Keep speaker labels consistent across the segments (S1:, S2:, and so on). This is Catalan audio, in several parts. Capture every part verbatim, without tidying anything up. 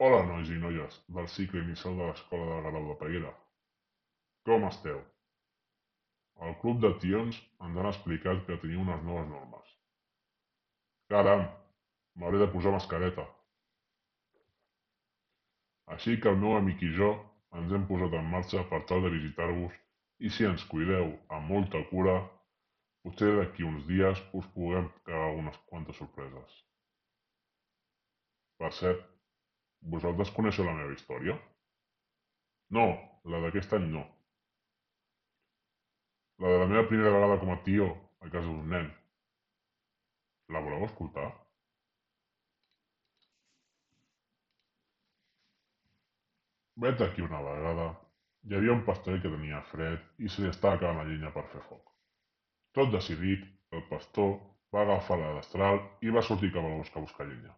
S1: Hola, nois i noies del cicle inicial de l'Escola de Garau de Peguera. Com esteu? El club de tions ens han explicat que teniu unes noves normes. Caram, m'hauré de posar mascareta. Així que el meu amic i jo ens hem posat en marxa per tal de visitar-vos i si ens cuideu amb molta cura, potser d'aquí uns dies us puguem cagar unes quantes sorpreses. Per cert, vosaltres coneixeu la meva història? No, la d'aquest any no. La de la meva primera vegada com a tio a casa d'un nen. La voleu escoltar? Veig aquí una vegada. Hi havia un pastoret que tenia fred i se li estava acabant la llenya per fer foc. Tot decidit, el pastor va agafar la destral i va sortir cap al bosc a buscar llenya.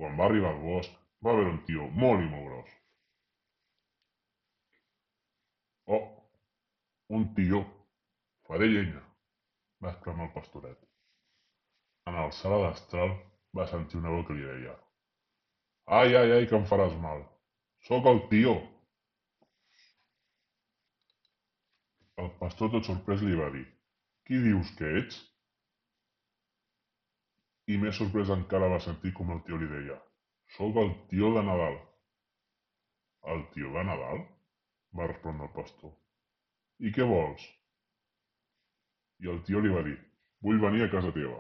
S1: Quan va arribar al bosc, va veure un tio molt i molt gros. Oh, un tio! Faré llenya! Va exclamar el pastoret. En alçar la destral va sentir una veu que li deia: Ai, ai, ai, que em faràs mal! Sóc el tio! El pastor, tot sorprès, li va dir: Qui dius que ets? I més sorprès encara va sentir com el tio li deia: Sóc el tio de Nadal. El tio de Nadal? Va respondre el pastor. I què vols? I el tio li va dir: Vull venir a casa teva.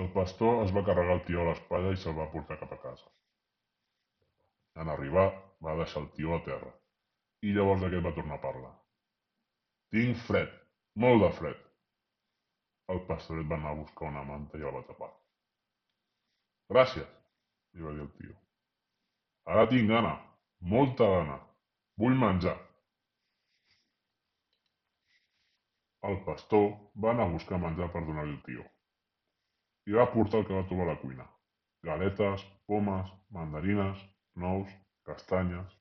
S1: El pastor es va carregar el tio a l'espatlla i se'l va portar cap a casa. En arribar, va deixar el tio a terra, i llavors aquest va tornar a parlar. Tinc fred, molt de fred. El pastoret va anar a buscar una manta i el va tapar. Gràcies, li va dir el tio. Ara tinc gana, molta gana. Vull menjar. El pastor va anar a buscar menjar per donar-li al tio. I va portar el que va trobar a la cuina: galetes, pomes, mandarines, nous, castanyes.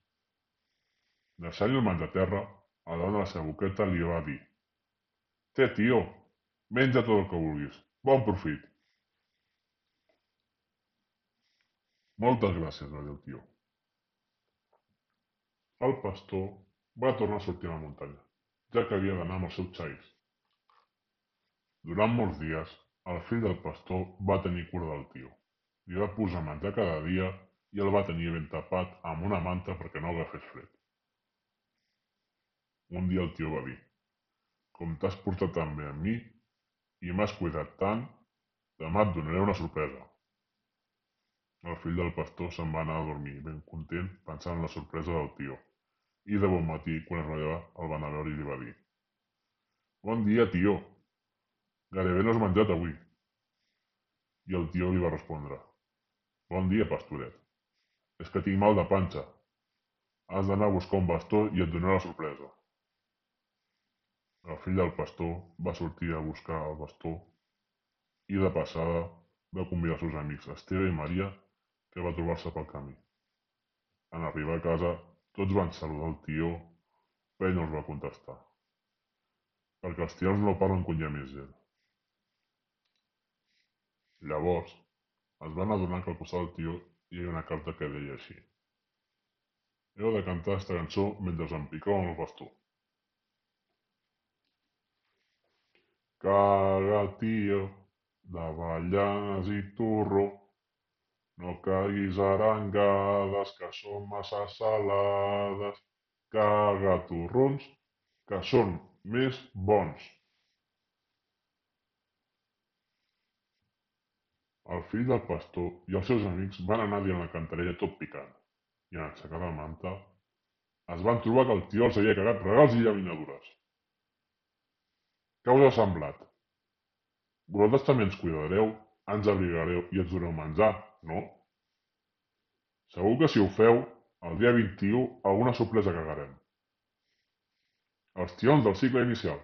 S1: Deixant-li el menjar a terra, a davant de la seva boqueta li va dir: Té, tio, menja tot el que vulguis. Bon profit. Moltes gràcies, va dir el tio. El pastor va tornar a sortir a la muntanya, ja que havia d'anar amb els seus xais. Durant molts dies, el fill del pastor va tenir cura del tio. Li va posar menjar cada dia i el va tenir ben tapat amb una manta perquè no agafés fred. Un dia el tio va dir: Com t'has portat tan bé amb mi i m'has cuidat tant, demà et donaré una sorpresa. El fill del pastor se'n va anar a dormir ben content pensant en la sorpresa del tio, i de bon matí, quan es va llevar, el va anar a veure i li va dir: Bon dia, tio. Gairebé no has menjat avui. I el tio li va respondre: Bon dia, pastoret. És que tinc mal de panxa. Has d'anar a buscar un bastó i et donaré la sorpresa. El fill del pastor va sortir a buscar el bastó i, de passada, va convidar els seus amics Esteve i Maria, que va trobar-se pel camí. En arribar a casa, tots van saludar el tió, però ell no els va contestar, perquè els tios no parlen quan hi ha més gent. Llavors, es van adonar que al costat del tió hi havia una carta que deia així: Heu de cantar aquesta cançó mentre us empicau amb el bastó. Caga, tio, d'avellanes i torró, no caguis arengades, que són massa salades. Caga torrons, que són més bons. El fill del pastor i els seus amics van anar dient la cantarella tot picant, i en aixecar la manta es van trobar que el tio els havia cagat regals i llaminadures. Què us ha semblat? Vosaltres també ens cuidareu, ens abrigareu i ens doneu menjar, no? Segur que si ho feu, el dia vint-i-u alguna sorpresa cagarem. Els tions del cicle inicial.